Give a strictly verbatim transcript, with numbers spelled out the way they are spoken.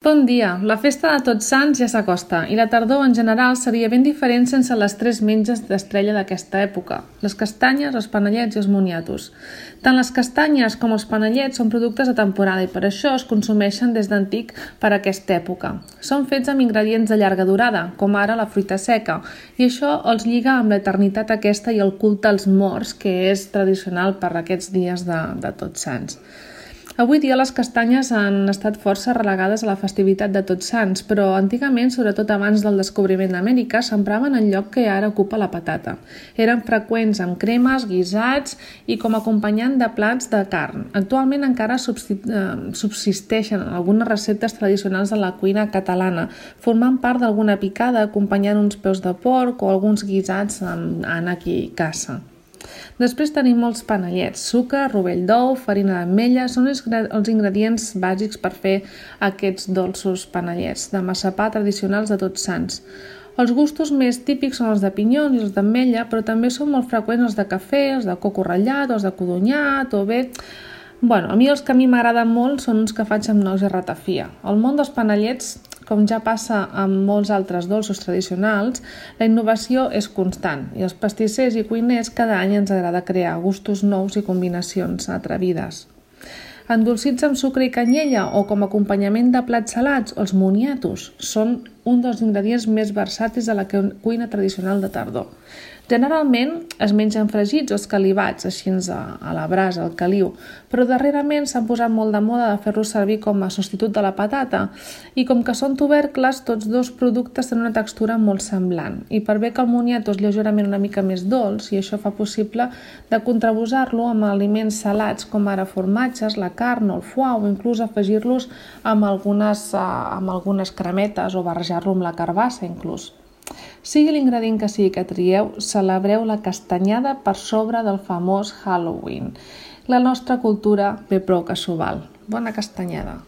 Bon dia! La festa de Tots Sants ja s'acosta i la tardor en general seria ben diferent sense les tres menges d'estrella d'aquesta època, les castanyes, els panellets i els moniatos. Tant les castanyes com els panellets són productes de temporada i per això es consumeixen des d'antic per a aquesta època. Són fets amb ingredients de llarga durada, com ara la fruita seca, i això els lliga amb l'eternitat aquesta i el culte als morts que és tradicional per aquests dies de, de Tots Sants. Avui dia les castanyes han estat força relegades a la festivitat de Tots Sants, però antigament, sobretot abans del descobriment d'Amèrica, s'empraven en lloc que ara ocupa la patata. Eren freqüents amb cremes, guisats i com a acompanyant de plats de carn. Actualment encara subsisteixen algunes receptes tradicionals de la cuina catalana, formant part d'alguna picada acompanyant uns peus de porc o alguns guisats amb ànec i caça. Després tenim molts panellets, sucre, rovell d'ou, farina d'ametlla, són els ingredients bàsics per fer aquests dolços panellets de massapà tradicionals de Tots Sants. Els gustos més típics són els de pinyons i els d'ametlla, però també són molt freqüents els de cafè, els de coco ratllat, els de codonyat o bé... Bueno, a mi els que a mi m'agraden molt són uns que faig amb nous i ratafia. El món dels panellets, com ja passa amb molts altres dolços tradicionals, la innovació és constant i els pastissers i cuiners cada any ens agrada crear gustos nous i combinacions atrevides. Endolcits amb sucre i canyella o com a acompanyament de plats salats, els moniatos són un dels ingredients més versàtils de la cuina tradicional de tardor. Generalment es mengen fregits o escalivats, així a la brasa, al caliu, però darrerament s'han posat molt de moda de fer-los servir com a substitut de la patata i com que són tubercles, tots dos productes tenen una textura molt semblant i per bé que el moniato és lleugerament una mica més dolç i això fa possible de contraposar-lo amb aliments salats com ara formatges, la carn o el foie o inclús afegir-los amb algunes, amb algunes cremetes o barrejar-lo amb la carbassa inclús. Sigui l'ingredient que sigui que trieu, celebreu la castanyada per sobre del famós Halloween. La nostra cultura ve prou que s'ho val. Bona castanyada!